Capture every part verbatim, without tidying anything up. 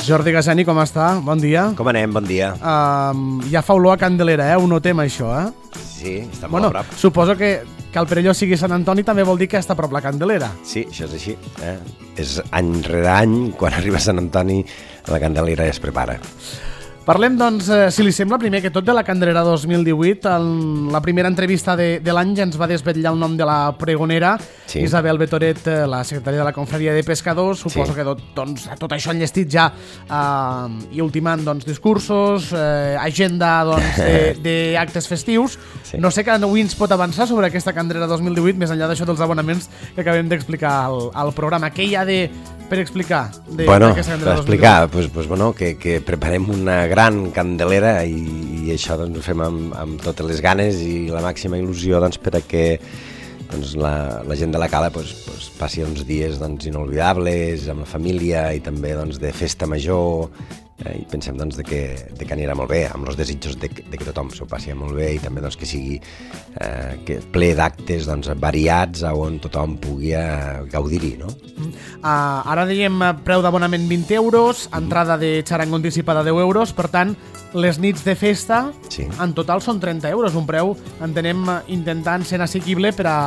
Jordi Gasani, com està? Bon dia. Com anem? Bon dia. Uh, ja fa olor a Candelera, eh? Ho notem, això, eh? Sí, està molt bueno, a prop. Suposo que, que el Perelló sigui Sant Antoni també vol dir que està a prop la Candelera. Sí, això és així. Eh? És any rere any, quan arriba Sant Antoni, la Candelera ja es prepara. Parlem, doncs, eh, si li sembla, primer que tot de la Candelera dos mil divuit. En la primera entrevista de, de l'any ja ens va desvetllar el nom de la pregonera, sí. Isabel Betoret, la secretària de la Confraria de Pescadors. Suposo sí. que tot, doncs, tot això enllestit ja eh, i ultimant doncs, discursos, eh, agenda doncs, d'actes festius. Sí. No sé que avui ens pot avançar sobre aquesta Candelera dos mil divuit, més enllà d'això dels abonaments que acabem d'explicar al, al programa. Què hi ha de, per explicar? De, bueno, per explicar, pues, pues, bueno, que, que preparem una gran candelera i, i això doncs, ho fem amb, amb totes les ganes i la màxima il·lusió doncs, per a que doncs, la, la gent de la cala pues, pues, passi uns dies doncs, inolvidables amb la família i també doncs, de festa major, eh, i pensem doncs, de, que, de que anirà molt bé, amb els desitjos de, de que tothom s'ho passi molt bé i també doncs, que sigui eh, que ple d'actes doncs, variats on tothom pugui eh, gaudir-hi, no? Uh, ara dèiem preu d'abonament vint euros, entrada de xarango anticipada deu euros, per tant, les nits de festa sí. en total són trenta euros, un preu, entenem, intentant ser assequible per a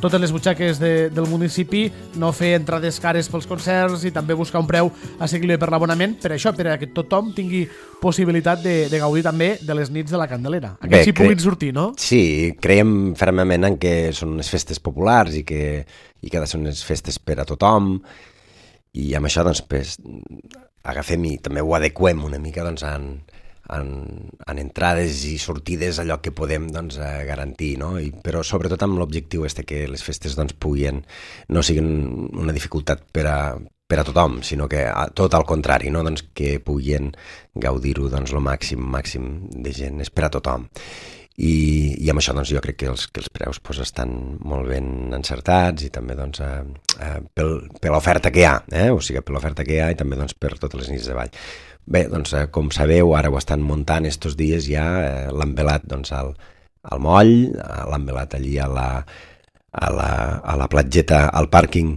totes les butxaques de, del municipi, no fer entrades cares pels concerts i també buscar un preu assequible per l'abonament, per això, per a que tothom tingui possibilitat de, de gaudir també de les nits de la Candelera. Aquests hi puguin sortir, no? Sí, creiem fermament en que són unes festes populars i que, i que ha de ser unes festes per a tothom, i amb això doncs, pues, agafem i també ho adequem una mica doncs, en, en, en entrades i sortides, allò que podem doncs, garantir, no? I, però sobretot amb l'objectiu este que les festes doncs, puguin, no siguin una dificultat per a, per a tothom, sinó que tot al contrari, no? Doncs, que puguin gaudir-ho doncs, el màxim, màxim de gent, és per a tothom. I, i amb això doncs, jo crec que els, que els preus doncs, estan molt ben encertats i també doncs, eh, eh, pel, per l'oferta que hi ha, eh? O sigui, per l'oferta que hi ha i també doncs, per totes les nits de ball. Bé, doncs, eh, com sabeu, ara ho estan muntant estos dies ja, eh, l'han velat doncs, al, al moll, l'han velat allí a la, a, la, a la platgeta, al pàrquing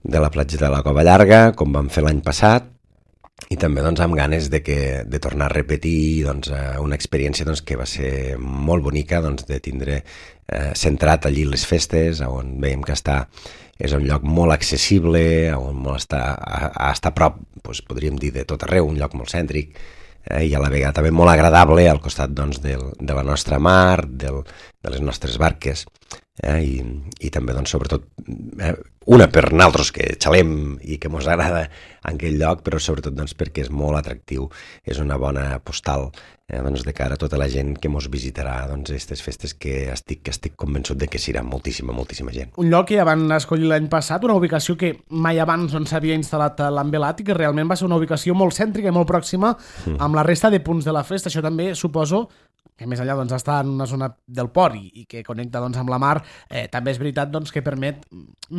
de la platgeta de la Cova Llarga, com vam fer l'any passat, i també doncs, amb ganes de, que, de tornar a repetir doncs, una experiència doncs, que va ser molt bonica doncs, de tindre eh, centrat allí les festes, on veiem que està, és un lloc molt accessible, on molt està, a, a estar a prop, doncs, podríem dir, de tot arreu, un lloc molt cèntric, eh, i a la vegada també molt agradable al costat doncs, del, de la nostra mar, del, de les nostres barques, eh, i, i també doncs, sobretot eh, una per nosaltres que xalem i que mos agrada en aquell lloc, però sobretot doncs, perquè és molt atractiu, és una bona postal eh, doncs, de cara a tota la gent que mos visitarà doncs, aquestes festes que estic, que estic convençut de que serà moltíssima, moltíssima gent. Un lloc que ja van escollir l'any passat, una ubicació que mai abans on s'havia instal·lat l'Envelat i que realment va ser una ubicació molt cèntrica i molt pròxima mm. amb la resta de punts de la festa. Això també suposo que més enllà doncs, està en una zona del port i, i que connecta doncs, amb la mar, eh, també és veritat doncs, que permet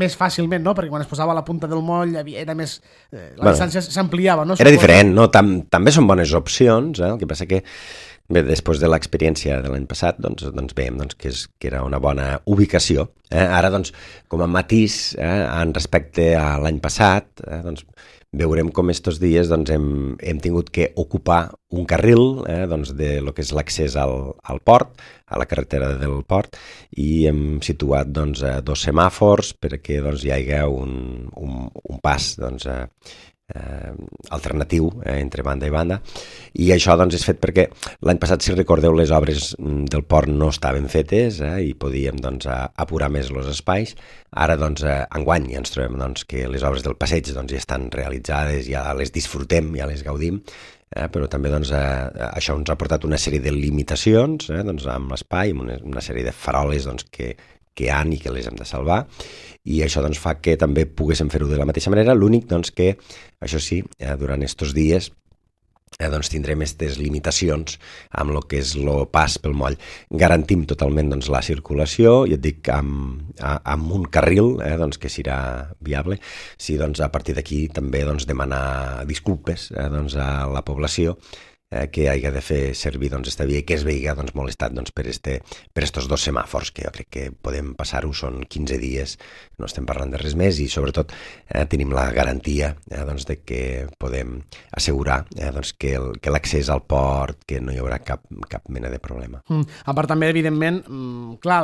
més fàcilment, no? Perquè quan es posava a la punta del moll havia, era més, eh, la bueno, distància s'ampliava. No? Era diferent, no? Tam, també són bones opcions, eh? El que passa que bé, després de l'experiència de l'any passat doncs, doncs veiem doncs, que, és, que era una bona ubicació. Eh? Ara, doncs, com a matís, eh, en respecte a l'any passat, eh, doncs, veurem com estos dies doncs, hem, hem tingut que ocupar un carril eh, doncs, de lo que és l'accés al, al port, a la carretera del port, i hem situat doncs, dos semàfors perquè doncs, hi hagi un, un, un pas doncs, eh, Eh, alternatiu eh, entre banda i banda, i això doncs, és fet perquè l'any passat, si recordeu, les obres del port no estaven fetes eh, i podíem doncs, apurar més els espais. Ara doncs, eh, enguany ja ens trobem doncs, que les obres del passeig doncs, ja estan realitzades, ja les disfrutem, ja les gaudim, eh, però també doncs, eh, això ens ha portat una sèrie de limitacions eh, doncs, amb l'espai, una, una sèrie de faroles doncs, que que hi ha i que les hem de salvar, i això doncs, fa que també poguéssim fer-ho de la mateixa manera. L'únic doncs, que, això sí, eh, durant aquests dies eh, doncs, tindrem aquestes limitacions amb el que és el pas pel moll. Garantim totalment doncs, la circulació, i et dic, amb, amb un carril eh, doncs, que serà viable. Sí, doncs, a partir d'aquí també doncs, demanar disculpes eh, doncs, a la població, eh, que hagi de fer servir doncs, esta via i que es veiga doncs, molestat doncs, per, este, per estos dos semàfors, que jo crec que podem passar-ho, són quinze dies, no estem parlant de res més i sobretot eh, tenim la garantia eh, doncs, de que podem assegurar eh, doncs, que, el, que l'accés al port, que no hi haurà cap, cap mena de problema. Mm. A part també, evidentment, mm, clar,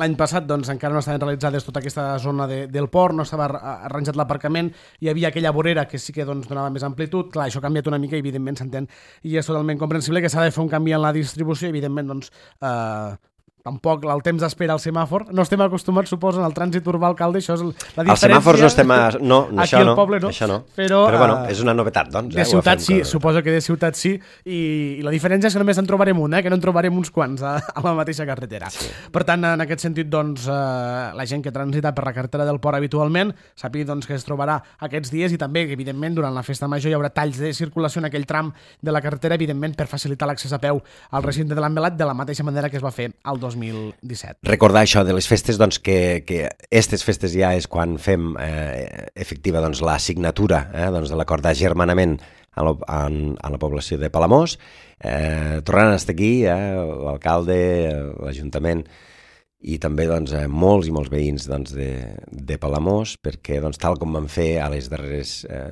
l'any passat doncs, encara no estaven realitzades tota aquesta zona de, del port, no estava arranjat l'aparcament, hi havia aquella vorera que sí que doncs, donava més amplitud, clar, això ha canviat una mica i evidentment s'entén i és totalment comprensible que s'ha de fer un canvi en la distribució, evidentment doncs eh, tampoc el temps d'espera al semàfor, no estem acostumats, suposo, en el trànsit urbà, alcalde, això és la diferència. Els semàfors no estem a... No, aquí això al no, poble no, això no. Però, però bueno, uh, és una novetat, doncs. De eh, ciutat sí, cosa... suposo que de ciutat sí, i, i la diferència és que només en trobarem un, eh, que no en trobarem uns quants a, a la mateixa carretera. Sí. Per tant, en aquest sentit, doncs, uh, la gent que transita per la carretera del port habitualment sàpiga doncs, que es trobarà aquests dies i també que, evidentment, durant la festa major hi haurà talls de circulació en aquell tram de la carretera, evidentment, per facilitar l'accés a peu al recinte de l'Envelat de la mateixa manera que es va fer el dos mil disset. Recordar això de les festes, doncs, que, que aquestes festes ja és quan fem eh, efectiva doncs, la signatura eh, doncs, de l'acord d'agermanament a, lo, a, a la població de Palamós. Eh, tornant a estar aquí, eh, l'alcalde, l'Ajuntament i també doncs, eh, molts i molts veïns doncs, de, de Palamós, perquè doncs, tal com vam fer a les darreres, eh,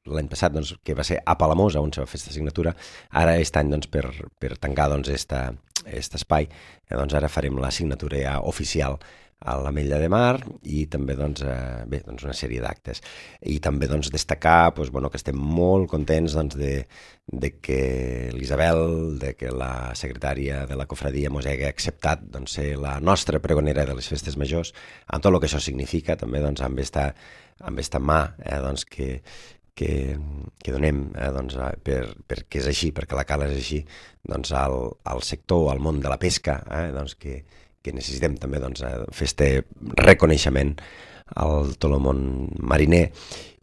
l'any passat, doncs, que va ser a Palamós, on se va fer aquesta signatura, ara aquest any doncs, per, per tancar doncs, esta, aquest espai, eh, doncs ara farem la signatura ja oficial a l'Ametlla de Mar i també doncs, eh, bé, doncs una sèrie d'actes. I també doncs, destacar doncs, bueno, que estem molt contents doncs, de, de que l'Isabel, de que la secretària de la cofradia mos hagi acceptat doncs, ser la nostra pregonera de les festes majors, amb tot el que això significa, també doncs, amb esta, amb esta mà eh, doncs, que, que, que donem eh, doncs, per, perquè és així, perquè la cala és així, doncs, al, al sector, al món de la pesca, eh, doncs, que, que necessitem també doncs, fer este reconeixement al tot el món mariner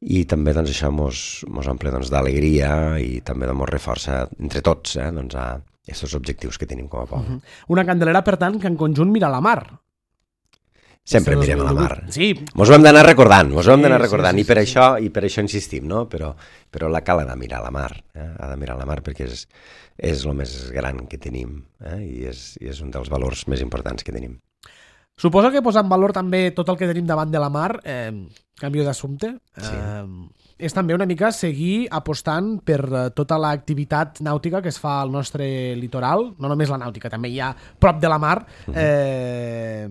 i també doncs, això mos, mos omple doncs, d'alegria i també mos reforça entre tots eh, doncs, a aquests objectius que tenim com a poble. Uh-huh. Una Candelera, per tant, que en conjunt mira la mar. Sempre mirem a la mar. Sí. Mos ho hem d'anar recordant, mos ho hem sí, d'anar recordant sí, sí, i per sí, això i per això insistim, no? Però, però la cal ha de mirar a la mar, eh? Ha de mirar a la mar perquè és, és el més gran que tenim eh? I, és, i és un dels valors més importants que tenim. Suposo que posar en valor també tot el que tenim davant de la mar, eh, canvio d'assumpte, Sí. eh, és també una mica seguir apostant per tota l'activitat nàutica que es fa al nostre litoral, no només la nàutica, també hi ha prop de la mar, eh,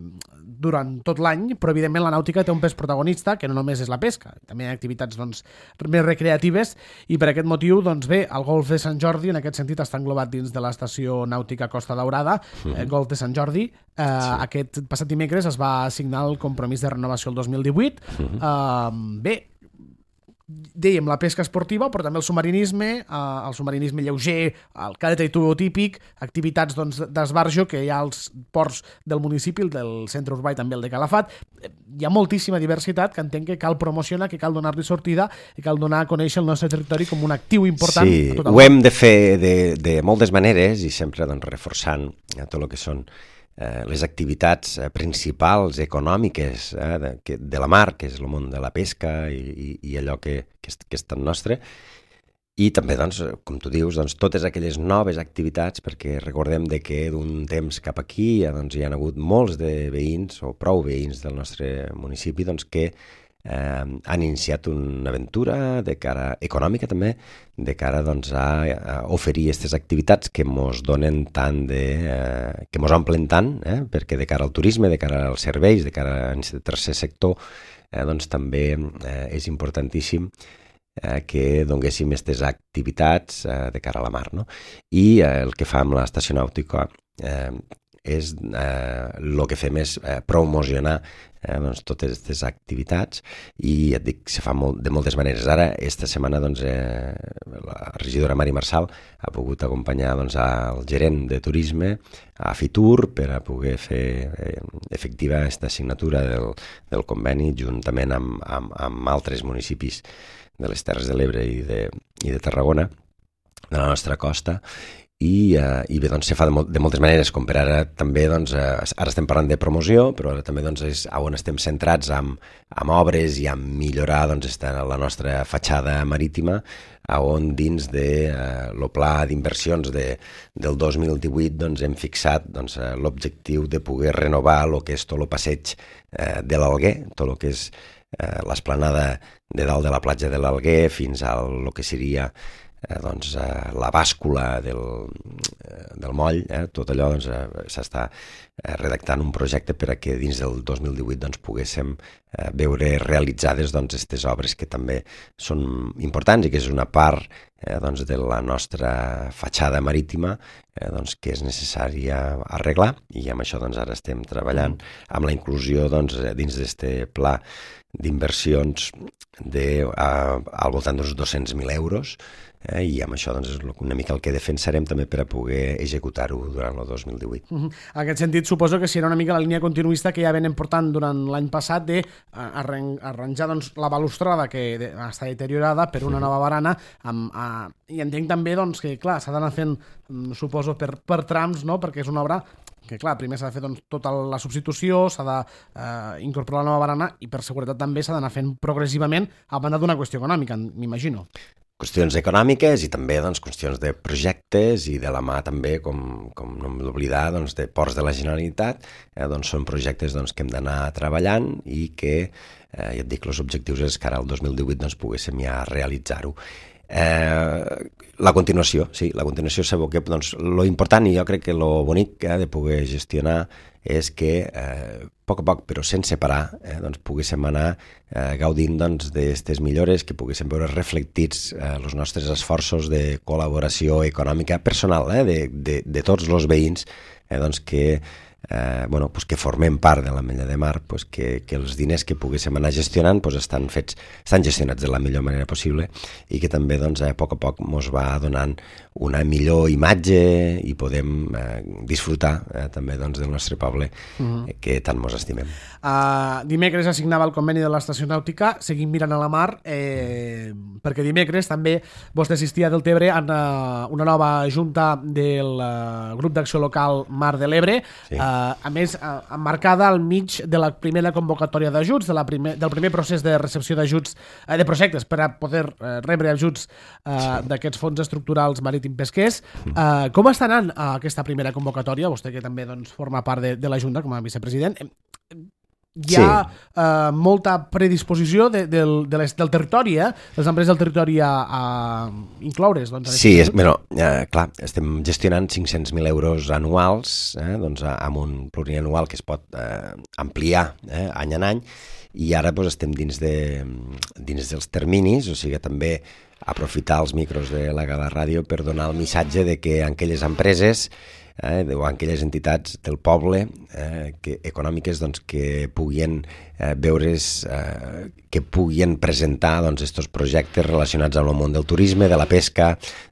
durant tot l'any, però evidentment la nàutica té un pes protagonista, que no només és la pesca, també hi ha activitats doncs, més recreatives, i per aquest motiu, doncs bé, el Golf de Sant Jordi, en aquest sentit, està englobat dins de l'estació nàutica Costa Daurada, mm. eh, Golf de Sant Jordi. Eh, sí. Aquest passat dimecres es va signar el compromís de renovació el dos mil divuit. Mm. Eh, bé, dèiem la pesca esportiva, però també el submarinisme, eh, el submarinisme lleuger, el cadet i tubo típic, activitats doncs, d'esbarjo que hi ha als ports del municipi, el del centre urbà i també el de Calafat. Hi ha moltíssima diversitat que entenc que cal promocionar, que cal donar-li sortida i cal donar a conèixer el nostre territori com un actiu important. Sí, ho hem de fer de, de moltes maneres i sempre doncs, reforçant tot el que són Eh, les activitats eh, principals econòmiques eh, de, que, de la mar, que és el món de la pesca i, i, i allò que, que, és, que és tan nostre, i també, doncs, com tu dius, doncs, totes aquelles noves activitats, perquè recordem de que d'un temps cap aquí doncs, hi ha hagut molts de veïns, o prou veïns del nostre municipi, doncs, que eh, han iniciat una aventura de cara econòmica també, de cara doncs, a, a oferir aquestes activitats que mos donen tant de... Eh, que mos omplen tant, eh, perquè de cara al turisme, de cara als serveis, de cara al tercer sector, eh, doncs també eh, és importantíssim eh, que donguéssim aquestes activitats eh, de cara a la mar. No? I eh, el que fa amb l'estació nàutica eh, és el eh, que fem és eh, promocionar eh, doncs, totes aquestes activitats i et dic, se fa molt, de moltes maneres. Ara, esta setmana, doncs, eh, la regidora Mari Marçal ha pogut acompanyar doncs, al gerent de turisme a Fitur per a poder fer eh, efectiva aquesta signatura del, del conveni juntament amb, amb, amb altres municipis de les Terres de l'Ebre i de, i de Tarragona, de la nostra costa, i, uh, i bé, doncs se fa de, mol de moltes maneres, com per ara també, doncs, uh, ara estem parlant de promoció, però ara també doncs, és on estem centrats amb, amb obres i amb millorar doncs, està la nostra fatxada marítima, on dins de uh, lo pla d'inversions de, del dos mil divuit doncs, hem fixat doncs, uh, l'objectiu de poder renovar el que és tot el passeig uh, de l'Alguer, tot el que és uh, l'esplanada de dalt de la platja de l'Alguer fins a lo que seria Eh, doncs, eh, la bàscula del, eh, del moll, eh, tot allò doncs, eh, s'està eh, redactant un projecte per a que dins del dos mil divuit doncs, poguéssim eh, veure realitzades doncs, aquestes obres que també són importants i que és una part eh, doncs, de la nostra fatxada marítima eh, doncs, que és necessària arreglar, i amb això doncs, ara estem treballant amb la inclusió doncs, dins d'aquest pla d'inversions de, uh, al voltant d'uns dos-cents mil euros, eh, i amb això doncs, és una mica el que defensarem també per a poder executar-ho durant el dos mil divuit. Uh-huh. En aquest sentit, suposo que serà una mica la línia continuista que ja venen portant durant l'any passat de arranjar doncs, la balustrada que de, està deteriorada per una nova barana, amb, uh, i entenc també doncs, que clar, s'ha d'anar fent, suposo, per, per trams, no? Perquè és una obra que clar, primer s'ha de fer doncs, tota la substitució, s'ha d'incorporar eh, la nova barana i per seguretat també s'ha d'anar fent progressivament a banda d'una qüestió econòmica, m'imagino. Qüestions econòmiques i també doncs, qüestions de projectes i de la mà també, com, com no hem d'oblidar, doncs, de Ports de la Generalitat, eh, doncs, són projectes doncs, que hem d'anar treballant i que, eh, ja et dic, els objectius és que ara el dos mil divuit doncs, poguéssim ja realitzar-ho. Eh, la continuació, sí, la continuació sabeu que doncs, lo important i jo crec que lo bonic eh, de poder gestionar és que eh, a poc a poc, però sense parar, eh, doncs, poguéssim anar eh, gaudint doncs, d'aquestes millores, que poguéssim veure reflectits eh, els nostres esforços de col·laboració econòmica personal eh, de, de, de tots els veïns eh, doncs, que Eh, bueno, pues que formem part de l'Ametlla de Mar, pues que, que els diners que poguéssim anar gestionant pues estan fets, estan gestionats de la millor manera possible i que també doncs, a poc a poc ens va donant una millor imatge i podem eh, disfrutar eh, també doncs, del nostre poble uh-huh. eh, que tant ens estimem. Uh, dimecres assignava el conveni de l'estació nàutica, seguim mirant a la mar, eh, perquè dimecres també vostè assistia del Tebre a una, una nova junta del uh, grup d'acció local Mar de l'Ebre, sí. uh, a més uh, emmarcada al mig de la primera convocatòria d'ajuts, de la primer, del primer procés de recepció d'ajuts, uh, de projectes per a poder uh, rebre ajuts uh, sí. d'aquests fons estructurals marítim pesquers. Uh, com està anant uh, aquesta primera convocatòria? Vostè que també doncs, forma part de, de la Junta com a vicepresident. Hi ha sí. uh, molta predisposició de, del, de les, del territori, eh? Les empreses del territori a, a incloure's. Doncs, sí, és, bueno, eh, clar, estem gestionant cinc-cents mil euros anuals, eh, doncs, amb un plurianual que es pot eh, ampliar eh, any en any, i ara doncs, estem dins, de, dins dels terminis, o sigui, també aprofitar els micros de la Gala Ràdio per donar el missatge de que en aquelles empreses eh, o en aquelles entitats del poble eh, que, econòmiques doncs, que puguin eh, veure's, eh, que puguin presentar doncs, estos projectes relacionats amb el món del turisme, de la pesca,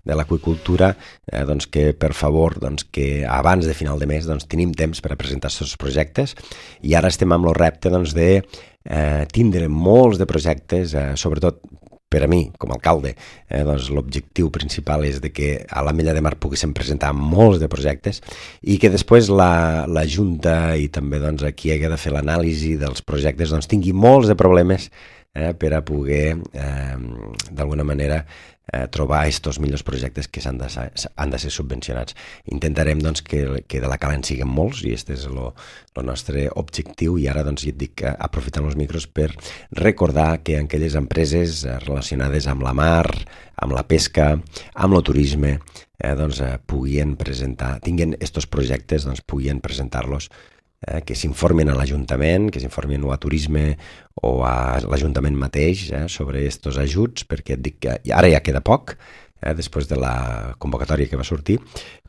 de l'aqüicultura, eh, doncs, que per favor doncs, que abans de final de mes doncs, tenim temps per a presentar aquests projectes, i ara estem amb el repte doncs, de eh, tindre molts de projectes, eh, sobretot per a mi, com a alcalde, eh, doncs l'objectiu principal és de que a l'Ametlla de Mar poguéssim presentar molts de projectes i que després la, la Junta i també doncs, qui hagi de fer l'anàlisi dels projectes doncs, tingui molts de problemes eh, per a poder, eh, d'alguna manera, eh, trobar aquests millors projectes que s'han de, han de ser subvencionats. Intentarem doncs, que, que de la Cala en siguin molts, i aquest és el nostre objectiu, i ara doncs, ja et dic, aprofitant els micros per recordar que aquelles empreses relacionades amb la mar, amb la pesca, amb el turisme, eh, doncs, eh, puguin presentar, tinguin aquests projectes, doncs, puguin presentar-los, eh, que s'informin a l'Ajuntament, que s'informin o a Turisme o a l'Ajuntament mateix eh, sobre aquests ajuts, perquè et dic que ara ja queda poc, eh, després de la convocatòria que va sortir,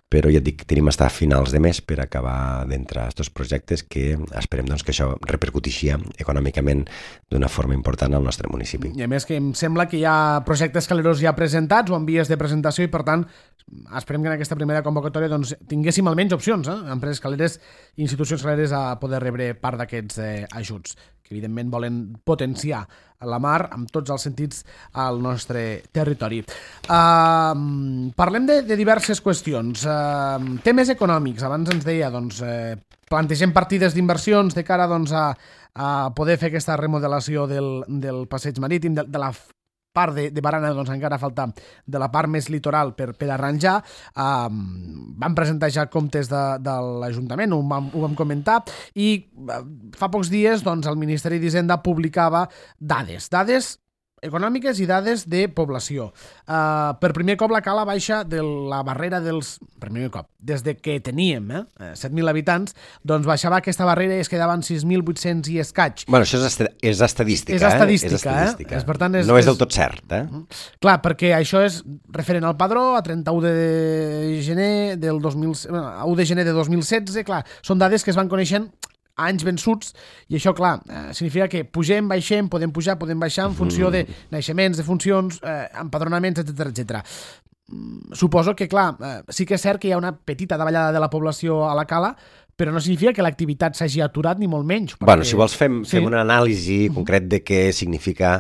però ja et dic, tenim estar a finals de mes per acabar d'entrar aquests projectes que esperem doncs, que això repercutixi econòmicament d'una forma important al nostre municipi. I a més que em sembla que hi ha projectes caleros ja presentats o en vies de presentació i per tant esperem que en aquesta primera convocatòria doncs, tinguéssim almenys opcions, eh? empreses caleres i institucions caleres a poder rebre part d'aquests eh, ajuts, que evidentment volen potenciar la mar amb tots els sentits al nostre territori. Uh, parlem de, de diverses qüestions. Uh, temes econòmics, abans ens deia, doncs, eh, plantegem partides d'inversions de cara doncs, a, a poder fer aquesta remodelació del, del passeig marítim, de, de la part de, de barana, doncs encara falta de la part més litoral per, per arranjar. Um, vam presentar ja comptes de, de l'Ajuntament, ho vam, ho vam comentar, i uh, fa pocs dies doncs, el Ministeri d'Hisenda publicava dades, dades econòmiques i dades de població. Uh, per primer cop la cala baixa de la barrera dels... Per primer cop, des de que teníem eh, set mil habitants, doncs baixava aquesta barrera i es quedaven sis mil vuit-cents i escaig. Bueno, això és, est és estadística, és estadística, eh? És estadística. Eh? És, per tant, és, no és és del tot cert, eh? Clar, perquè això és referent al padró a trenta-u de gener del dos mil... u de gener de dos mil setze, clar, són dades que es van coneixent anys vençuts, i això, clar, eh, significa que pugem, baixem, podem pujar, podem baixar en funció de naixements, de funcions, eh, empadronaments, etcètera, etcètera. Suposo que, clar, eh, sí que és cert que hi ha una petita davallada de la població a la cala, però no significa que l'activitat s'hagi aturat ni molt menys. Perquè... Bueno, si vols fem, sí. fem una anàlisi concret de què significa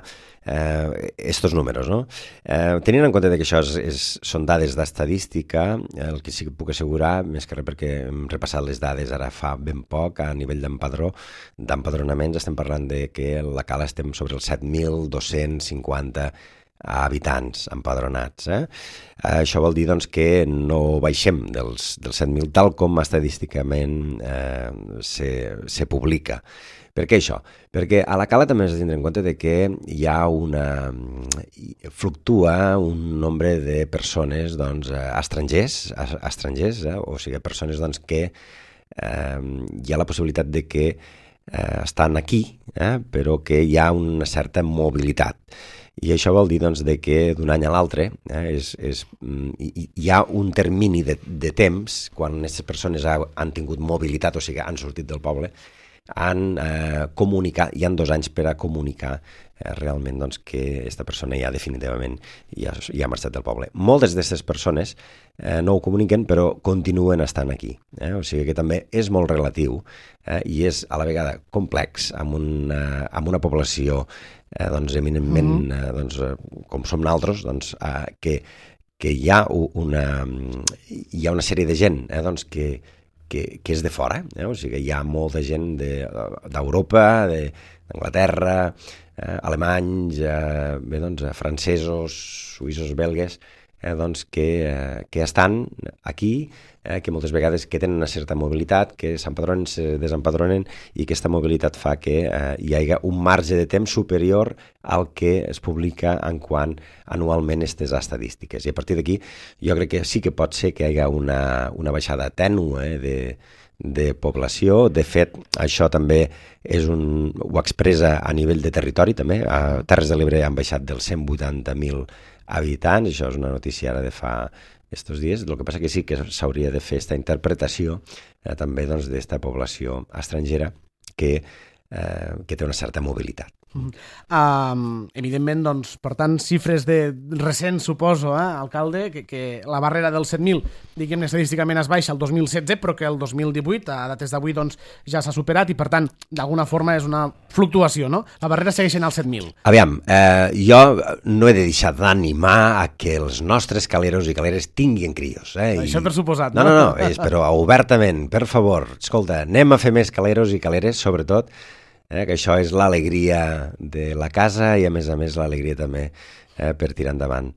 eh, estos números, no? Eh, tenint en compte que això és, és, són dades d'estadística, el que sí que puc assegurar, més que res perquè hem repassat les dades ara fa ben poc, a nivell d'empadró, d'empadronaments, estem parlant de que a la cala estem sobre els set mil dos-cents cinquanta habitants empadronats. Eh? Això vol dir doncs, que no baixem dels, dels set mil, tal com estadísticament eh, se, se publica. Per què això? Perquè a la cala també has de tindre en compte de que hi ha una... fluctua un nombre de persones doncs, estrangers, estrangers eh? o sigui, persones doncs, que eh, hi ha la possibilitat de que eh, estan aquí, eh? però que hi ha una certa mobilitat. I això vol dir doncs, de que d'un any a l'altre eh, és, és, hi, hi ha un termini de, de temps quan aquestes persones ha, han tingut mobilitat, o sigui, han sortit del poble, han eh, comunicat, hi han dos anys per a comunicar eh, realment doncs, que aquesta persona ja definitivament ja, ja ha marxat del poble. Moltes d'aquestes persones eh, no ho comuniquen, però continuen estant aquí. Eh? O sigui que també és molt relatiu eh, i és a la vegada complex amb una, amb una població eh, doncs, eminentment, mm-hmm. eh, doncs, com som nosaltres, doncs, eh, que, que hi ha una, hi ha una sèrie de gent eh, doncs, que Que, que és de fora, eh? O sigui, hi ha molta gent d'Europa, de, d'Anglaterra, eh, alemanys, eh, bé, doncs, francesos, suïssos, belgues, eh, doncs, que, eh, que estan aquí, eh, que moltes vegades que tenen una certa mobilitat, que s'empadronen, se desempadronen, i aquesta mobilitat fa que eh, hi hagi un marge de temps superior al que es publica en quant anualment aquestes estadístiques. I a partir d'aquí jo crec que sí que pot ser que hi hagi una, una baixada tènue eh, de, de població. De fet, això també és un, ho expressa a nivell de territori també. A Terres de l'Ebre han baixat dels cent vuitanta mil habitants, això és una notícia ara de fa estos dies. El que passa que sí que s'hauria de fer aquesta interpretació eh, també doncs, d'esta població estrangera que, eh, que té una certa mobilitat. Mm. Um, evidentment, doncs, per tant, xifres de recents, suposo, eh, alcalde, que, que la barrera dels set mil, diguem, estadísticament es baixa el dos mil setze, però que el dos mil divuit, a dates d'avui, doncs, ja s'ha superat i, per tant, d'alguna forma és una fluctuació, no? La barrera segueix en el set mil. Aviam, eh, jo no he de deixar d'animar a que els nostres caleros i caleres tinguin crios. Eh? Això per suposat, no? No, no, no, és, però obertament, per favor, escolta, anem a fer més caleros i caleres, sobretot, Eh, que això és l'alegria de la casa i a més a més l'alegria també eh, per tirar endavant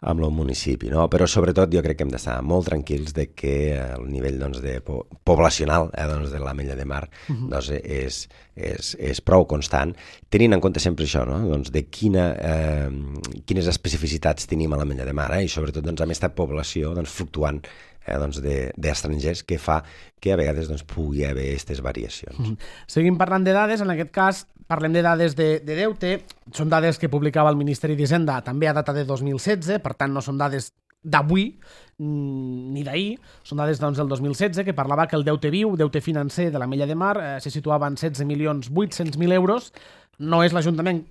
amb el municipi, no? Però sobretot jo crec que hem d'estar molt tranquils de que el nivell doncs, de po poblacional eh, doncs, de l'Ametlla de Mar uh-huh. doncs, és, és, és prou constant, tenint en compte sempre això, no? Doncs, de quina, eh, quines especificitats tenim a l'Ametlla de Mar eh? I sobretot doncs, amb aquesta població doncs, fluctuant Eh, doncs d'estrangers, que fa que a vegades doncs, pugui haver aquestes variacions. Mm -hmm. Seguim parlant de dades, en aquest cas parlem de dades de, de deute, són dades que publicava el Ministeri d'Hisenda també a data de dos mil setze, per tant no són dades d'avui ni d'ahir, són dades doncs, del dos mil setze, que parlava que el deute viu, deute financer de l'Ametlla de Mar, eh, se situava en setze milions vuit-cents mil euros. No és l'Ajuntament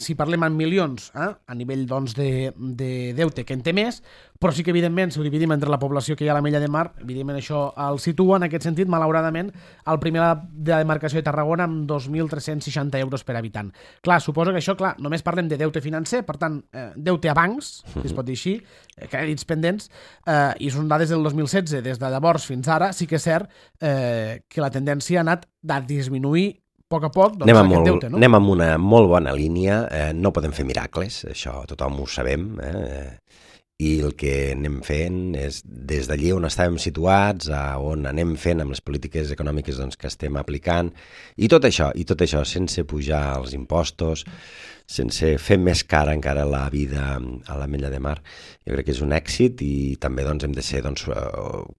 si parlem en milions, eh, a nivell doncs, de, de deute que en té més, però sí que, evidentment, si ho dividim entre la població que hi ha a la Mella de Mar, evidentment això el situa, en aquest sentit, malauradament, el primer de la demarcació de Tarragona amb dos mil tres-cents seixanta euros per habitant. Clar, suposo que això, clar, només parlem de deute financer, per tant, eh, deute a bancs, si es pot dir així, eh, crèdits pendents, eh, i són dades del dos mil setze, des de llavors fins ara, sí que és cert eh, que la tendència ha anat a disminuir a poc a poc, doncs, anem aquest molt, deute, no? Anem amb una molt bona línia, eh, no podem fer miracles, això tothom ho sabem, eh? I el que anem fent és, des d'allí on estàvem situats, a on anem fent amb les polítiques econòmiques doncs, que estem aplicant, i tot això, i tot això sense pujar els impostos, sense fer més cara encara la vida a la Mella de Mar. Jo crec que és un èxit i també doncs, hem de ser doncs,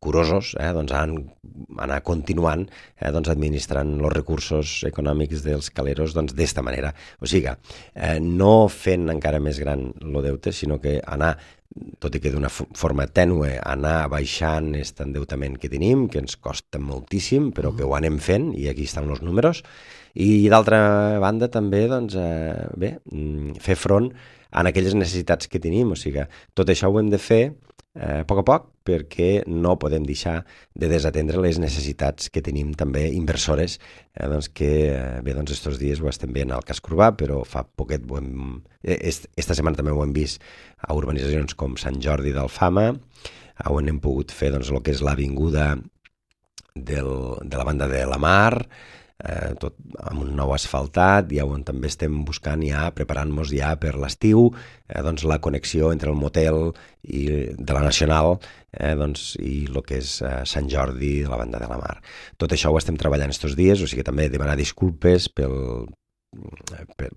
curosos, eh, doncs, anar continuant eh, doncs, administrant els recursos econòmics dels caleros doncs, d'esta manera. O sigui, eh, no fent encara més gran el deute, sinó que anar, tot i que d'una forma tènue, anar baixant aquest endeutament que tenim, que ens costa moltíssim, però que ho anem fent, i aquí estan els números. I d'altra banda també doncs, eh, bé, fer front a aquelles necessitats que tenim, o sigui, tot això ho hem de fer eh, a poc a poc perquè no podem deixar de desatendre les necessitats que tenim també inversores, eh, doncs que eh, bé, doncs estos dies ho estem veient al casc urbà, però fa poquet ho hem, esta setmana també ho hem vist a urbanitzacions com Sant Jordi d'Alfama, on hem pogut fer doncs, el que és l'avinguda del, de la banda de la Mar, Eh, tot amb un nou asfaltat, i on també estem buscant ja, preparant-nos ja per l'estiu, eh, doncs la connexió entre el motel i de la Nacional eh, doncs, i el que és eh, Sant Jordi de la banda de la Mar. Tot això ho estem treballant estos dies, o sigui també demanar disculpes pel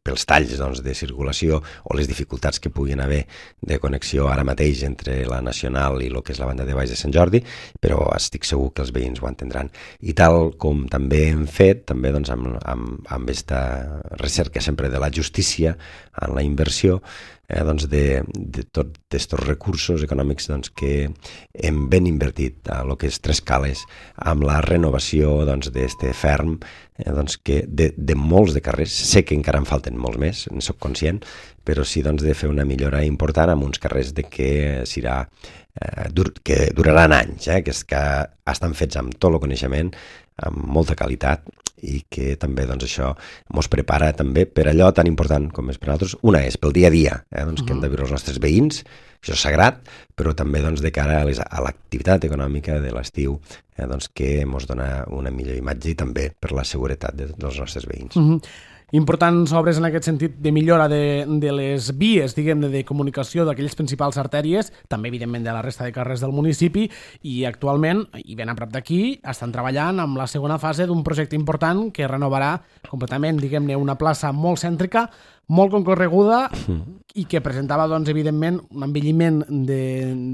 pels talls doncs, de circulació o les dificultats que puguin haver de connexió ara mateix entre la Nacional i el que és la banda de Baix de Sant Jordi, però estic segur que els veïns ho entendran. I tal com també hem fet, també doncs, amb, amb, amb esta recerca sempre de la justícia en la inversió, eh, doncs de, de tots aquests recursos econòmics doncs, que hem ben invertit a el que és Tres Cales, amb la renovació doncs, d'este ferm, eh, doncs, que de, de molts de carrers, sé que encara en falten molts més, en soc conscient, però sí doncs, de fer una millora important amb uns carrers de que serà eh, dur, que duraran anys, eh, que, és, que estan fets amb tot el coneixement, amb molta qualitat, i que també doncs, això ens prepara també per allò tan important com és per nosaltres. Una és pel dia a dia, eh, doncs, uh-huh. que hem de viure els nostres veïns, això és sagrat, però també doncs, de cara a, les, a l'activitat econòmica de l'estiu, eh, doncs, que ens dona una millor imatge i també per la seguretat de, dels nostres veïns. Uh-huh. Importants obres en aquest sentit de millora de, de les vies, diguem-ne, de comunicació d'aquelles principals artèries, també evidentment de la resta de carrers del municipi, i actualment, i ben a prop d'aquí, estan treballant amb la segona fase d'un projecte important que renovarà completament, diguem-ne, una plaça molt cèntrica, molt concorreguda i que presentava, doncs, evidentment, un envelliment de,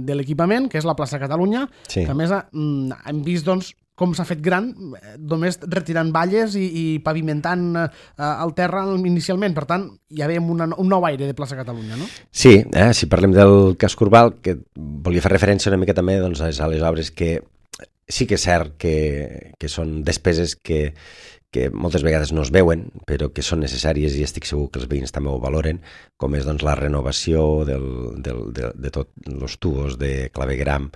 de l'equipament, que és la plaça Catalunya, sí. que a més hem vist, doncs, com s'ha fet gran, només retirant valles i, i pavimentant eh, el terra inicialment. Per tant, ja veiem una, un nou aire de plaça Catalunya, no? Sí, eh, si parlem del casc urbà, que volia fer referència una mica també doncs, a les obres que sí que és cert que, que són despeses que, que moltes vegades no es veuen, però que són necessàries i estic segur que els veïns també ho valoren, com és doncs, la renovació del, del, de, de tots els tubos de clavegram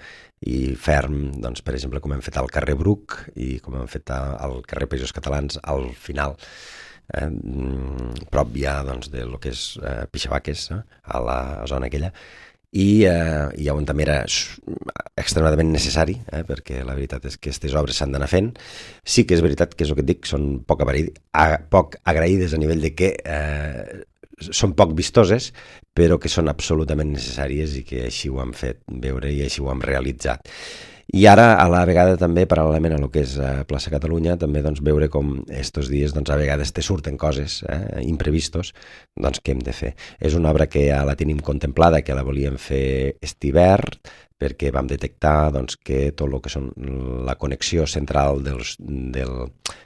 i ferm, doncs, per exemple, com hem fet al carrer Bruc i com hem fet al carrer Països Catalans al final, eh, prop ja doncs, de lo que és eh, Pixabaques, eh, a la zona aquella, i, eh, i on també era extremadament necessari, eh, perquè la veritat és que aquestes obres s'han d'anar fent. Sí que és veritat que és el que et dic, són poc, a, poc agraïdes a nivell de que eh, són poc vistoses, però que són absolutament necessàries i que així ho han fet veure i així ho hem realitzat. I ara, a la vegada, també, paral·lelament a lo que és a Plaça Catalunya, també doncs, veure com estos dies doncs, a vegades te surten coses eh, imprevistos doncs, que hem de fer. És una obra que ja la tenim contemplada, que la volíem fer este hivern, perquè vam detectar doncs, que tot el que són la connexió central dels, del,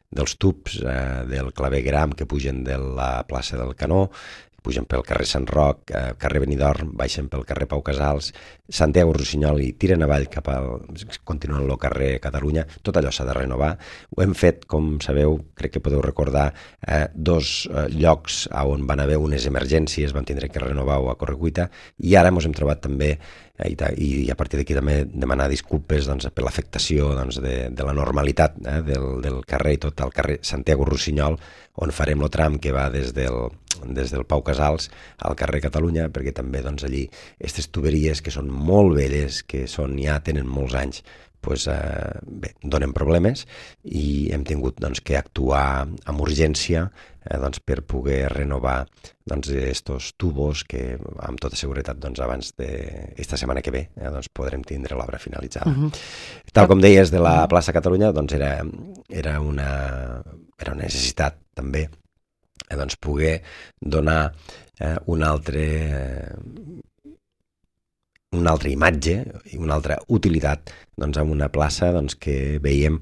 dels tubs eh, del clavegram que pugen de la plaça del Canó, pugen pel carrer Sant Roc, eh, carrer Benidorm, baixen pel carrer Pau Casals, Santiago Rossinyol i tiren avall cap al... continuen el carrer Catalunya. Tot allò s'ha de renovar. Ho hem fet, com sabeu, crec que podeu recordar, eh, dos eh, llocs on van haver unes emergències, vam tindre que renovar a correcuita, i ara ens hem trobat també I, i a partir d'aquí també demanar disculpes doncs, per l'afectació doncs, de, de la normalitat eh, del, del carrer i tot el carrer Santiago Rossinyol, on farem el tram que va des del, des del Pau Casals al carrer Catalunya, perquè també doncs, allí aquestes tuberies que són molt velles, que són, ja tenen molts anys, pues, eh, bé, donen problemes i hem tingut doncs, que actuar amb urgència eh, doncs, per poder renovar doncs, estos tubos que amb tota seguretat doncs, abans d'esta setmana que ve eh, doncs, podrem tindre l'obra finalitzada. Uh-huh. Tal com deies de la plaça Catalunya, doncs, era, era, una, era una necessitat també eh, doncs, poder donar eh, un altre... Eh, una altra imatge i una altra utilitat doncs, en una plaça doncs, que veiem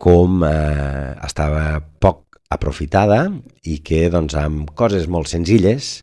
com eh, estava poc aprofitada i que doncs, amb coses molt senzilles,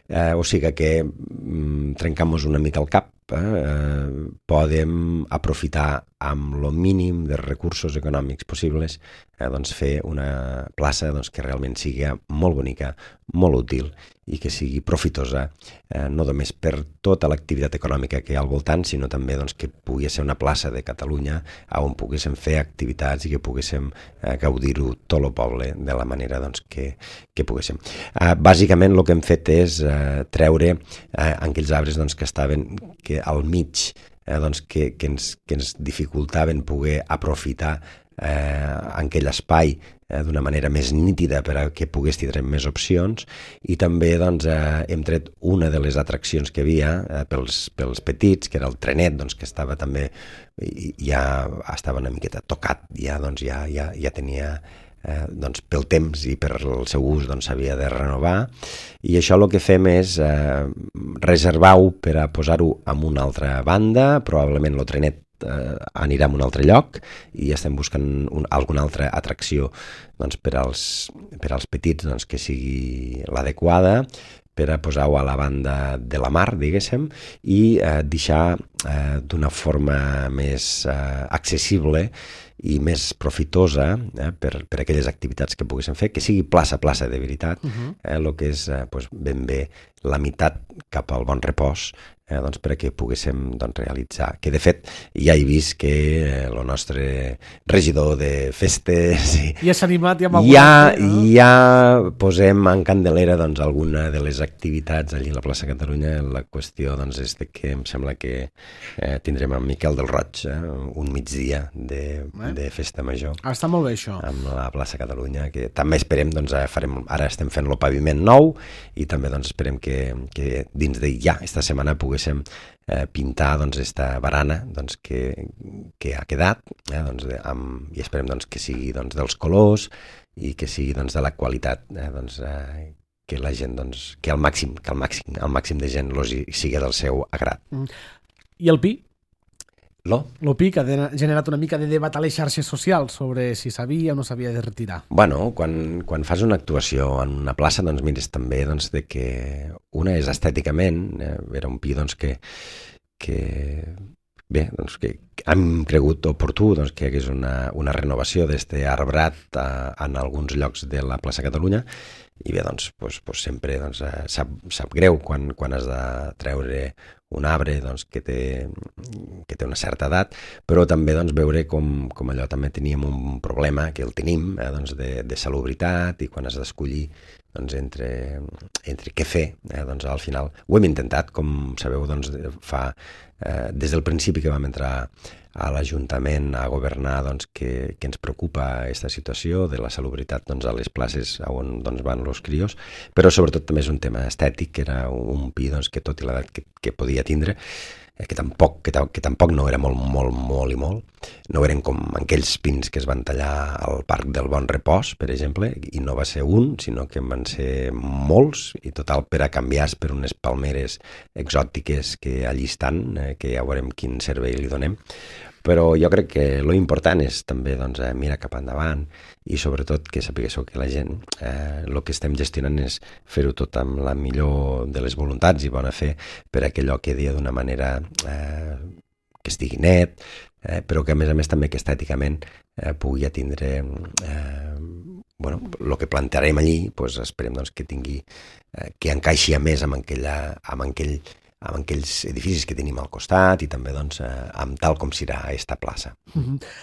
eh, o sigui que mm, trencam-nos una mica el cap, eh, podem aprofitar amb el mínim de recursos econòmics possibles eh, doncs, fer una plaça doncs, que realment sigui molt bonica, molt útil i que sigui profitosa, eh, no només per tota l'activitat econòmica que hi ha al voltant, sinó també doncs, que pugui ser una plaça de Catalunya on poguéssim fer activitats i que poguéssim eh, gaudir-ho tot el poble de la manera doncs, que, que poguéssim. Eh, bàsicament el que hem fet és eh, treure eh, aquells arbres doncs, que estaven que al mig eh, doncs, que, que, ens, que ens dificultaven poder aprofitar eh, aquell espai eh, d'una manera més nítida per a que pogués tindre més opcions i també doncs, eh, hem tret una de les atraccions que havia eh, pels, pels petits, que era el trenet, doncs, que estava també ja estava una miqueta tocat, ja, doncs, ja, ja, ja tenia Eh, doncs pel temps i per el seu ús doncs s'havia de renovar i això el que fem és eh, reservar-ho per a posar-ho en una altra banda, probablement el trenet eh, anirà a un altre lloc i estem buscant un, alguna altra atracció doncs, per, als, per als petits doncs, que sigui l'adequada per a posar-ho a la banda de la mar, diguéssim, i eh, deixar eh, d'una forma més eh, accessible i més profitosa eh, per, per aquelles activitats que poguéssim fer, que sigui plaça a plaça de veritat, uh-huh. eh, el que és eh, pues, ben bé la meitat cap al Bon Repòs, eh, doncs, perquè poguéssim doncs, realitzar. Que de fet ja he vist que el eh, nostre regidor de festes ja s'ha animat, ja, ja, no? ja posem en candelera doncs, alguna de les activitats allí a la plaça Catalunya. La qüestió doncs, és que em sembla que eh, tindrem en Miquel del Roig eh, un migdia de, eh? de festa major. Ah, està molt bé això. Amb la plaça Catalunya, que també esperem, doncs, farem, ara estem fent el paviment nou i també doncs, esperem que, que dins de ja esta setmana poguéssim eh, pintar doncs, esta barana doncs, que, que ha quedat eh, doncs, de, amb, i esperem doncs, que sigui doncs, dels colors i que sigui doncs, de la qualitat eh, doncs, eh, que la gent, doncs, que al màxim, que al màxim, al màxim de gent los sigui del seu agrat. Mm. I el Pi? Lo? Lo Pi, que ha generat una mica de debat a les xarxes socials sobre si s'havia o no s'havia de retirar. Bueno, quan, quan fas una actuació en una plaça, doncs mires també doncs, de que una és estèticament, eh, era un Pi doncs, que, que bé, doncs, que hem cregut oportú doncs, que hi hagués una, una renovació d'este arbrat a, en alguns llocs de la plaça Catalunya i bé, doncs, doncs, doncs sempre doncs, sap, sap greu quan, quan has de treure un arbre doncs, que, té, que té una certa edat, però també doncs, veure com, com allò també teníem un problema, que el tenim, eh, doncs, de, de salubritat i quan has d'escollir doncs, entre, entre què fer, eh, doncs, al final ho hem intentat, com sabeu, doncs, fa, eh, des del principi que vam entrar a l'Ajuntament a governar doncs, que, que ens preocupa aquesta situació de la salubritat doncs, a les places on doncs, van els crios, però sobretot també és un tema estètic, que era un Pi doncs, que tot i l'edat que, que podia tindre, eh, que, tampoc, que, que tampoc no era molt, molt, molt i molt, no eren com aquells pins que es van tallar al Parc del Bon Repòs, per exemple, i no va ser un, sinó que en van ser molts, i total per a canviar per unes palmeres exòtiques que allí estan, eh, que ja veurem quin servei li donem. Però jo crec que lo important és també doncs, mirar cap endavant i sobretot que sapigueu que la gent eh, el que estem gestionant és fer-ho tot amb la millor de les voluntats i bona fe per a que allò quedi d'una manera eh, que estigui net, eh, però que a més a més també que estèticament eh, pugui atindre eh, bueno, el que plantearem allí, doncs esperem doncs, que tingui eh, que encaixi a més amb, aquella, amb, aquell, amb aquells edificis que tenim al costat i també doncs, eh, amb tal com serà aquesta plaça. Mm-hmm.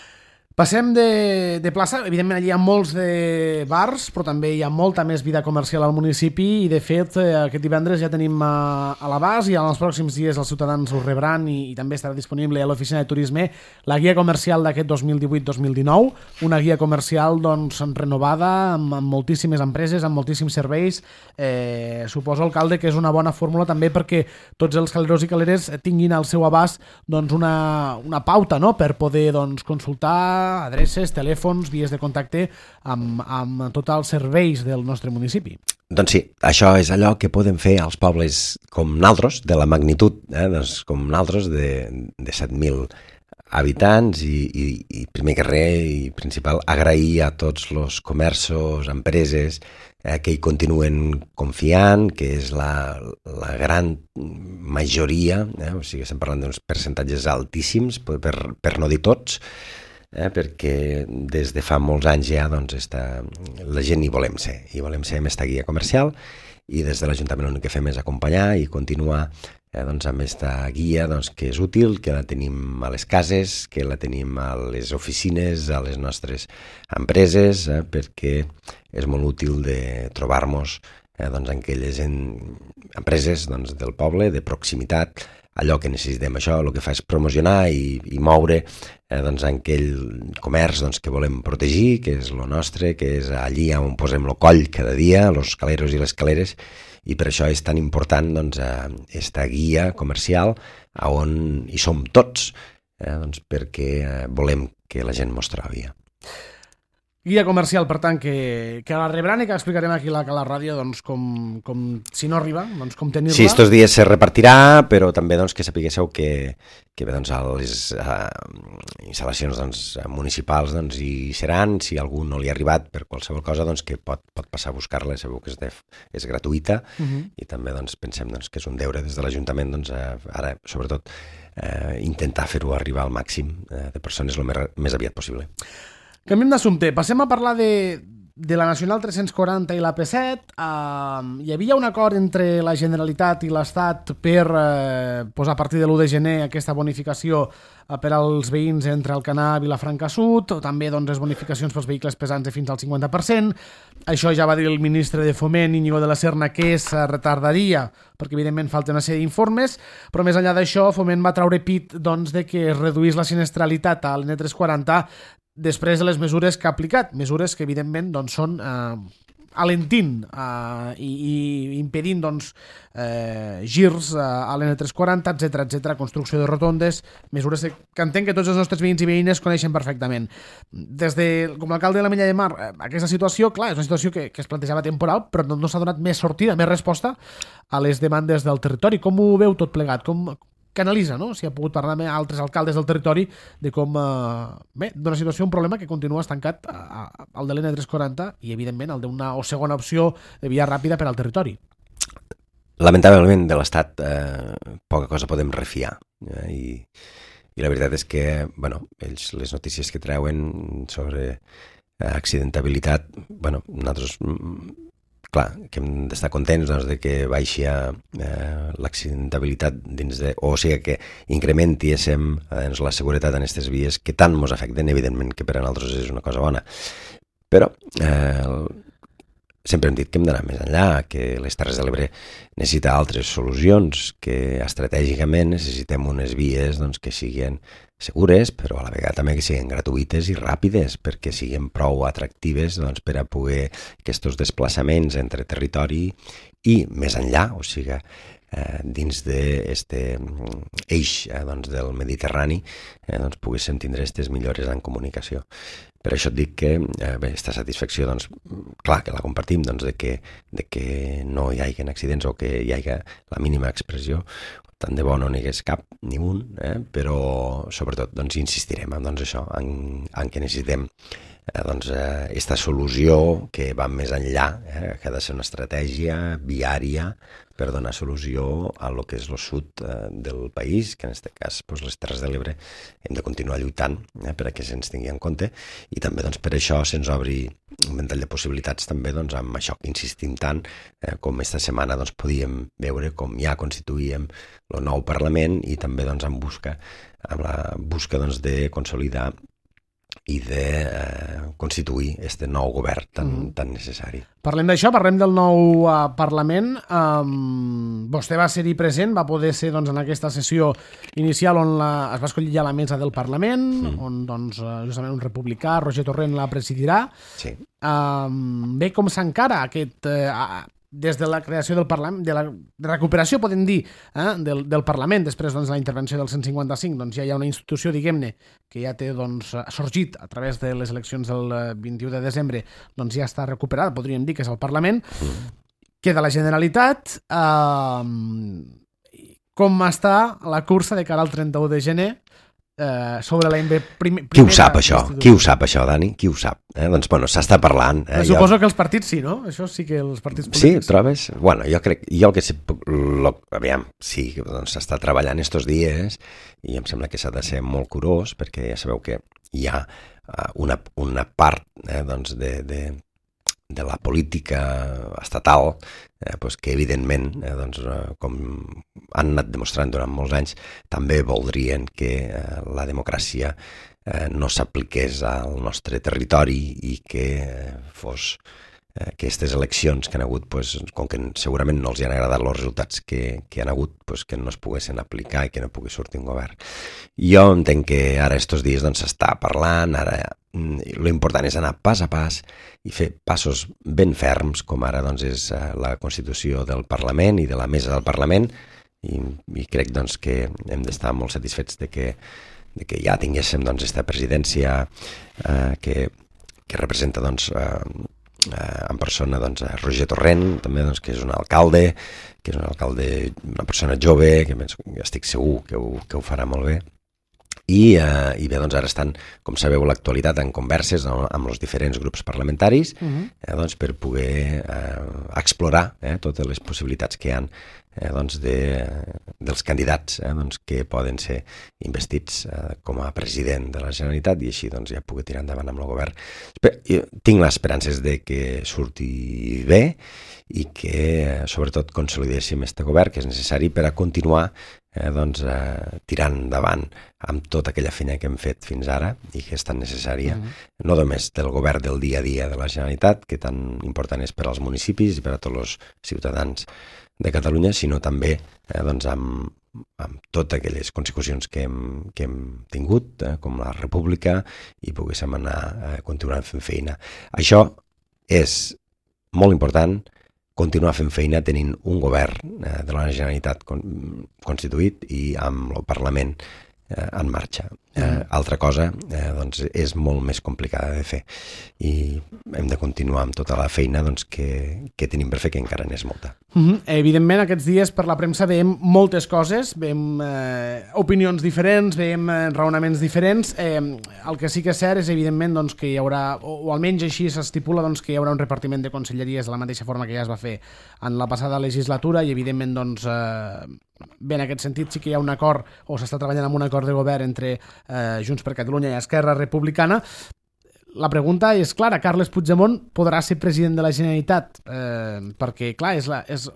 Passem de, de plaça, evidentment allí hi ha molts de bars, però també hi ha molta més vida comercial al municipi i de fet aquest divendres ja tenim a, a l'abast i en els pròxims dies els ciutadans ho rebran i, i també estarà disponible a l'oficina de turisme la guia comercial d'aquest dos mil divuit dos mil dinou, una guia comercial doncs, renovada amb, amb moltíssimes empreses, amb moltíssims serveis. Eh, suposo, alcalde, que és una bona fórmula també perquè tots els caleros i caleres tinguin al seu abast doncs, una, una pauta, no?, per poder doncs, consultar adreces, telèfons, vies de contacte amb, amb tots els serveis del nostre municipi. Doncs sí, això és allò que podem fer als pobles com naltros, de la magnitud, eh, doncs com naltros, de, de set mil habitants i, i, i primer que res i principal agrair a tots els comerços, empreses eh, que hi continuen confiant, que és la, la gran majoria, eh, o sigui, estem parlant d'uns percentatges altíssims, per, per no dir tots, Eh, perquè des de fa molts anys ja doncs, està, la gent hi volem ser, hi volem ser amb aquesta guia comercial i des de l'Ajuntament l'únic que fem és acompanyar i continuar eh, doncs, amb aquesta guia doncs, que és útil, que la tenim a les cases, que la tenim a les oficines, a les nostres empreses, eh, perquè és molt útil de trobar-nos eh, doncs, en aquelles en, empreses doncs, del poble, de proximitat, allò que necessitem. Això el que fa és promocionar i, i moure eh, doncs, en aquell comerç doncs, que volem protegir, que és el nostre, que és allí on posem el coll cada dia, els caleros i les caleres, i per això és tan important doncs, aquesta guia comercial on hi som tots, eh, doncs, perquè eh, volem que la gent mos trobi. Guia comercial, per tant, que, que la rebran i que explicarem aquí a la, a la ràdio doncs, com, com, si no arriba, doncs, com tenir-la. Sí, estos dies se repartirà, però també doncs, que sapiguéssiu que, que bé, doncs, a les uh, instal·lacions doncs, municipals doncs, hi seran. Si algú no li ha arribat per qualsevol cosa, doncs, que pot, pot passar a buscar-la, sabeu que és, de, és gratuïta uh-huh. i també doncs, pensem doncs, que és un deure des de l'Ajuntament, doncs, uh, ara, sobretot, uh, intentar fer-ho arribar al màxim uh, de persones el més, més aviat possible. Canviem d'assumpte. Passem a parlar de, de la Nacional tres-cents quaranta i la P set. Uh, hi havia un acord entre la Generalitat i l'Estat per uh, posar a partir de l'u de gener aquesta bonificació uh, per als veïns entre Alcanar i Vilafranca Sud, o també doncs, les bonificacions pels vehicles pesants de fins al cinquanta per cent. Això ja va dir el ministre de Foment, Íñigo de la Serna, que es retardaria, perquè evidentment falta una sèrie d'informes, però més enllà d'això, Foment va traure pit doncs, de que es reduís la sinistralitat a l'N tres quaranta després de les mesures que ha aplicat, mesures que evidentment doncs, són eh, alentint eh, i, i impedint doncs, eh, girs eh, a l'N tres quaranta, etcètera, etcètera, construcció de rotondes, mesures que entenc que tots els nostres veïns i veïnes coneixen perfectament. Des de, com l'alcalde de la Mella de Mar, aquesta situació, clar, és una situació que, que es plantejava temporal, però no, no s'ha donat més sortida, més resposta a les demandes del territori. Com ho veu tot plegat? Com canalitza, no? Si ha pogut parlar amb altres alcaldes del territori de com, eh, bé, d'una situació, un problema que continua estancat a, a, al de l'N tres quaranta i, evidentment, el d'una o segona opció de via ràpida per al territori. Lamentablement, de l'Estat eh, poca cosa podem refiar. Eh, i, I la veritat és que, bueno, ells, les notícies que treuen sobre eh, accidentabilitat, bueno, nosaltres... Clar, que hem d'estar contents doncs, de que baixi eh, l'accidentabilitat dins de... O sigui, que incrementi eh, doncs, la seguretat en aquestes vies que tant ens afecten, evidentment que per a nosaltres és una cosa bona. Però eh, sempre hem dit que hem d'anar més enllà, que les Terres de l'Ebre necessita altres solucions, que estratègicament necessitem unes vies doncs, que siguin segures, però a la vegada també que siguin gratuïtes i ràpides, perquè siguin prou atractives doncs, per a poder aquests desplaçaments entre territori i més enllà, o sigui, eh, dins d'aquest eix eh, doncs, del Mediterrani, eh, doncs, poguéssim tindre aquestes millores en comunicació. Per això et dic que eh, bé, aquesta satisfacció, doncs, clar que la compartim, doncs, de, que, de que no hi hagi accidents o que hi hagi la mínima expressió, tant de bo no n'hi hagués cap, ni un, eh? Però sobretot doncs, insistirem en doncs, això, en, en què necessitem eh, doncs, eh, esta solució que va més enllà, eh? Que ha de ser una estratègia viària per donar solució a lo que és el sud eh, del país, que en aquest cas doncs, les Terres de l'Ebre hem de continuar lluitant eh, per a que se'ns tingui en compte i també doncs, per això se'ns obri un ventall de possibilitats també doncs, amb això que insistim tant eh, com esta setmana doncs, podíem veure com ja constituïem el nou Parlament i també doncs, en busca, amb la busca doncs, de consolidar i de eh, constituir este nou govern tan, mm. tan necessari. Parlem d'això, parlem del nou uh, Parlament. Um, vostè va ser-hi present, va poder ser doncs, en aquesta sessió inicial on la, es va escollir ja la mesa del Parlament, mm. on doncs, justament un republicà, Roger Torrent, la presidirà. Sí. Um, bé, com s'encara aquest... Uh, des de la creació del Parlament, de la de recuperació, podem dir, eh, del, del Parlament, després doncs, de la intervenció del cent cinquanta-cinc, doncs ja hi ha una institució, diguem-ne, que ja té doncs, sorgit a través de les eleccions del vint-i-u de desembre, doncs ja està recuperada, podríem dir que és el Parlament. Mm. Queda la Generalitat. Eh, com està la cursa de cara al trenta-u de gener? Eh, sobre la prim Qui ho sap, això? Qui ho sap, això, Dani? Qui ho sap? Eh? Doncs, bueno, s'està parlant. Eh? Suposo jo... que els partits sí, no? Això sí que els partits Sí, polítics... trobes? Bueno, jo crec... Jo el que sé... Lo... Aviam, sí, doncs s'està treballant estos dies i em sembla que s'ha de ser molt curós perquè ja sabeu que hi ha una, una part eh, doncs de... de de la política estatal, eh, pues que evidentment, eh, doncs, eh, com han anat demostrant durant molts anys, també voldrien que eh, la democràcia eh, no s'apliqués al nostre territori i que eh, fos eh, que aquestes eleccions que han hagut, pues, com que segurament no els hi han agradat els resultats que, que han hagut, pues, que no es poguessin aplicar i que no pugui sortir un govern. Jo entenc que ara estos dies doncs, s'està parlant, ara l'important és anar pas a pas i fer passos ben ferms, com ara doncs, és la constitució del Parlament i de la mesa del Parlament, i, i crec doncs, que hem d'estar molt satisfets de que, de que ja tinguéssim doncs, aquesta presidència eh, que, que representa doncs, eh, eh, en persona doncs, Roger Torrent, també doncs, que és un alcalde, que és un alcalde, una persona jove, que estic segur que ho, que ho farà molt bé. I, eh, i bé, doncs ara estan, com sabeu, a l'actualitat en converses no, amb els diferents grups parlamentaris uh-huh. eh, doncs, per poder eh, explorar eh, totes les possibilitats que hi ha eh, doncs de, dels candidats eh, doncs, que poden ser investits eh, com a president de la Generalitat i així doncs, ja pugui tirar endavant amb el govern. Jo tinc les esperances de que surti bé i que sobretot consolidéssim este govern que és necessari per a continuar eh, doncs, eh, tirant endavant amb tota aquella feina que hem fet fins ara i que és tan necessària, mm-hmm. no només del govern del dia a dia de la Generalitat, que tan important és per als municipis i per a tots els ciutadans de Catalunya, sinó també eh, doncs, amb, amb totes aquelles consecucions que hem, que hem tingut, eh, com la República, i poguéssim anar eh, continuant fent feina. Això és molt important, continuar fent feina tenint un govern eh, de la Generalitat con, constituït i amb el Parlament eh, en marxa. Eh, altra cosa eh, doncs és molt més complicada de fer i hem de continuar amb tota la feina doncs, que, que tenim per fer, que encara n'és molta. Mm-hmm. Evidentment, aquests dies per la premsa veiem moltes coses, veiem eh, opinions diferents, veiem eh, raonaments diferents. Eh, el que sí que és cert és, evidentment, doncs, que hi haurà, o, o almenys així s'estipula, doncs, que hi haurà un repartiment de conselleries de la mateixa forma que ja es va fer en la passada legislatura i, evidentment, doncs, eh, bé, en aquest sentit sí que hi ha un acord, o s'està treballant amb un acord de govern entre eh, Junts per Catalunya i Esquerra Republicana. La pregunta és clara, Carles Puigdemont podrà ser president de la Generalitat? Eh, perquè, clar, és la, és,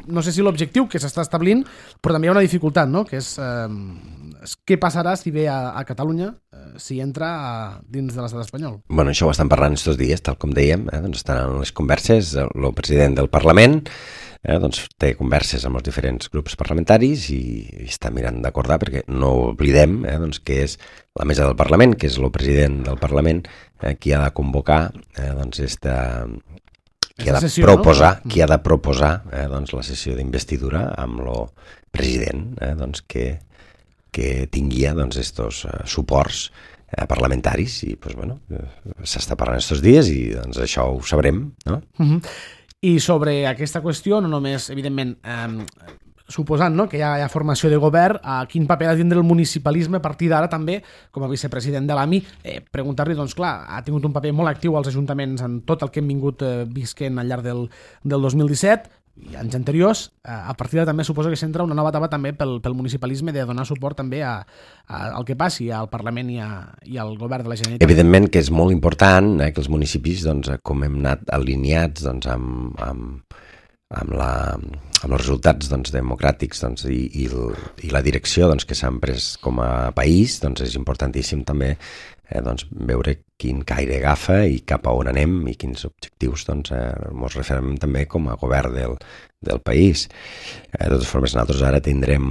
no sé si l'objectiu que s'està establint, però també hi ha una dificultat, no? Que és eh, què passarà si ve a, a Catalunya, eh, si entra a, dins de l'estat espanyol. Bueno, això ho estan parlant estos dies, tal com dèiem, eh? Doncs estan en les converses, el president del Parlament, Eh, doncs té converses amb els diferents grups parlamentaris i, i està mirant d'acordar, perquè no oblidem eh, doncs, que és la mesa del Parlament, que és el president del Parlament, eh, qui ha de convocar eh, doncs esta, qui, ha de sessió, proposar, no? qui ha de proposar eh, doncs, la sessió d'investidura amb el president eh, doncs, que, que tingui doncs, estos eh, suports eh, parlamentaris i doncs, bueno, eh, s'està parlant estos dies i doncs, això ho sabrem, no? Mm-hmm. I sobre aquesta qüestió, no només, evidentment, eh, suposant no? que hi ha, hi ha formació de govern, a quin paper ha de tindre el municipalisme a partir d'ara també, com a vicepresident de l'A M I, eh, preguntar-li, doncs clar, ha tingut un paper molt actiu als ajuntaments en tot el que hem vingut eh, visquent al llarg del, del dos mil disset, i anys anteriors, a partir de també suposo que s'entra una nova etapa també pel, pel municipalisme de donar suport també a, a, al que passi al Parlament i, a, i al govern de la Generalitat. Evidentment que és molt important eh, que els municipis, doncs, com hem anat alineats doncs, amb, amb, amb, la, amb els resultats doncs, democràtics doncs, i, i, el, i la direcció doncs, que s'han pres com a país, doncs és importantíssim també eh, doncs, veure quin caire agafa i cap a on anem i quins objectius doncs, eh, ens referem també com a govern del, del país. Eh, de totes formes, nosaltres ara tindrem,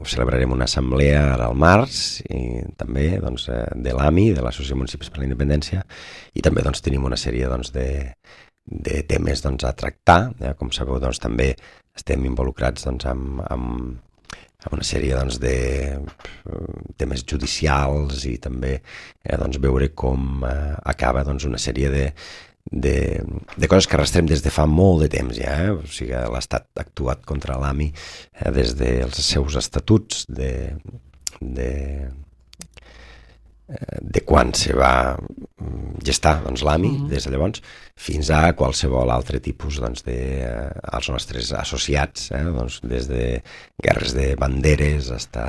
celebrarem una assemblea ara al març i també doncs, eh, de l'A M I, de l'Associació de Municipis per la Independència, i també doncs, tenim una sèrie doncs, de, de temes doncs, a tractar. Eh? Com sabeu, doncs, també estem involucrats doncs, amb, amb amb una sèrie doncs, de temes judicials i també eh, doncs, veure com eh, acaba doncs, una sèrie de, de, de coses que arrastrem des de fa molt de temps ja. Eh? O sigui, l'Estat ha actuat contra l'A M I eh, des dels seus estatuts de, de, de quan se va gestar doncs, l'A M I, mm-hmm. des de llavors, fins a qualsevol altre tipus doncs, de, eh, als nostres associats, eh, doncs, des de guerres de banderes fins a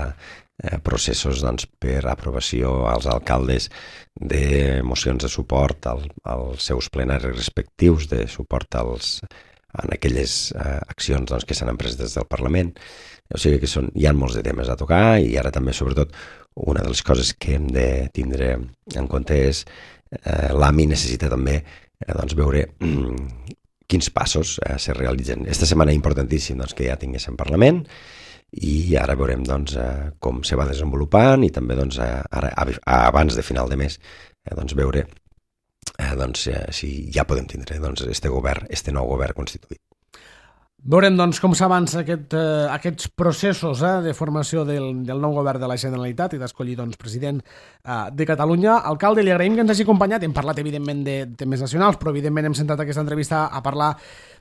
eh, processos doncs, per aprovació als alcaldes de mocions de suport al, als seus plenaris respectius, de suport als, en aquelles eh, accions doncs, que s'han emprès des del Parlament. O sigui que són, hi ha molts de temes a tocar i ara també, sobretot, una de les coses que hem de tindre en compte és eh, l'A M I necessita també eh, doncs, veure mm, quins passos eh, se realitzen. Esta setmana importantíssim doncs, que ja tinguéssim Parlament i ara veurem doncs, eh, com se va desenvolupant i també doncs, eh, ara, abans de final de mes eh, doncs, veure eh, doncs, eh, si ja podem tindre doncs, este govern, este nou govern constituït. Veurem doncs, com s'avança aquest, eh, aquests processos eh, de formació del, del nou govern de la Generalitat i d'escollir doncs, president eh, de Catalunya. Alcalde, li agraïm que ens hagi acompanyat. Hem parlat, evidentment, de temes nacionals, però, evidentment, hem centrat aquesta entrevista a parlar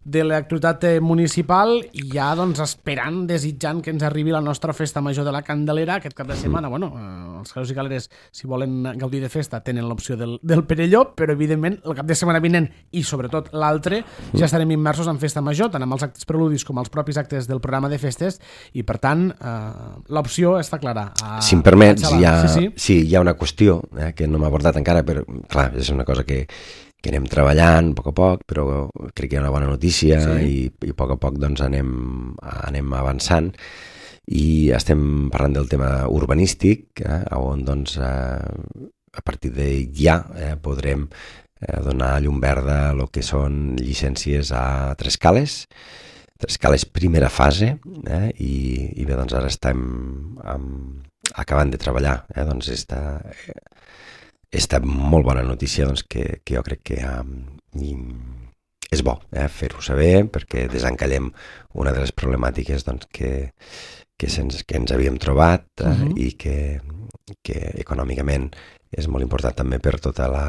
de l'actualitat municipal i ja doncs, esperant, desitjant que ens arribi la nostra festa major de la Candelera aquest cap de setmana. Bueno, eh, els calés i caleres, si volen gaudir de festa, tenen l'opció del, del Perelló, però, evidentment, el cap de setmana vinent i, sobretot, l'altre, ja estarem immersos en festa major, tant amb els actes preludis com els propis actes del programa de festes i, per tant, eh, l'opció està clara. A, si em permets, hi ha, sí, sí. Sí, hi ha una qüestió eh, que no m'ha abordat encara, però, clar, és una cosa que, que anem treballant a poc a poc, però crec que hi ha una bona notícia sí. i, i a poc a poc doncs, anem, anem avançant i estem parlant del tema urbanístic, eh, on doncs, eh, a partir de ja eh, podrem eh, donar llum verda a lo que són llicències a tres cales, tres cales primera fase, eh, i, i bé, doncs ara estem amb, acabant de treballar, eh, doncs esta, esta molt bona notícia doncs, que, que jo crec que um, és bo eh, fer-ho saber perquè desencallem una de les problemàtiques doncs, que, que, se'ns, que ens havíem trobat eh, uh-huh. i que, que econòmicament és molt important també per, tota la,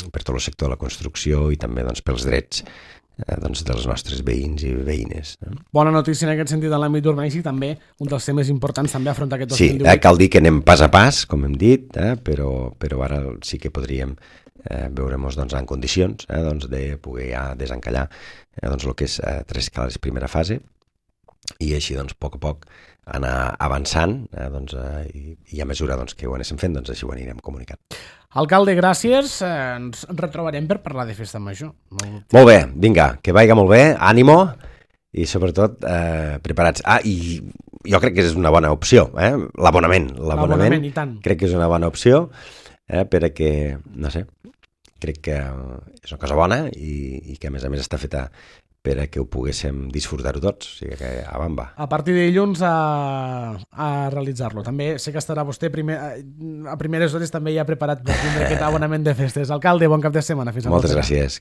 per tot el sector de la construcció i també doncs, pels drets eh, doncs, dels nostres veïns i veïnes. Eh? Bona notícia en aquest sentit en l'àmbit urbanístic, també un dels temes importants també afrontar aquest dos mil divuit. Sí, eh, cal dir que anem pas a pas, com hem dit, eh, però, però ara sí que podríem eh, veure-nos doncs, en condicions eh, doncs, de poder ja desencallar eh, doncs, el que és eh, tres cales primera fase i així doncs, a poc a poc anar avançant eh, doncs, eh, i, i a mesura doncs, que ho anéssim fent, doncs, així ho anirem comunicant. Alcalde, gràcies. Eh, ens retrobarem per parlar de festa major. Molt, molt bé, vinga, que vagi molt bé, ànimo i sobretot eh, preparats. Ah, i jo crec que és una bona opció, eh? l'abonament. L'abonament, l'abonament i tant. Crec que és una bona opció eh, perquè, no sé, crec que és una cosa bona i, i que a més a més està feta per a que ho poguéssim disfrutar-ho tots, o sigui que a bamba. A partir de dilluns a, a realitzar-lo. També sé que estarà vostè primer, a primeres hores també ja preparat per tindre aquest abonament de festes. Alcalde, bon cap de setmana. Fins a Moltes gràcies.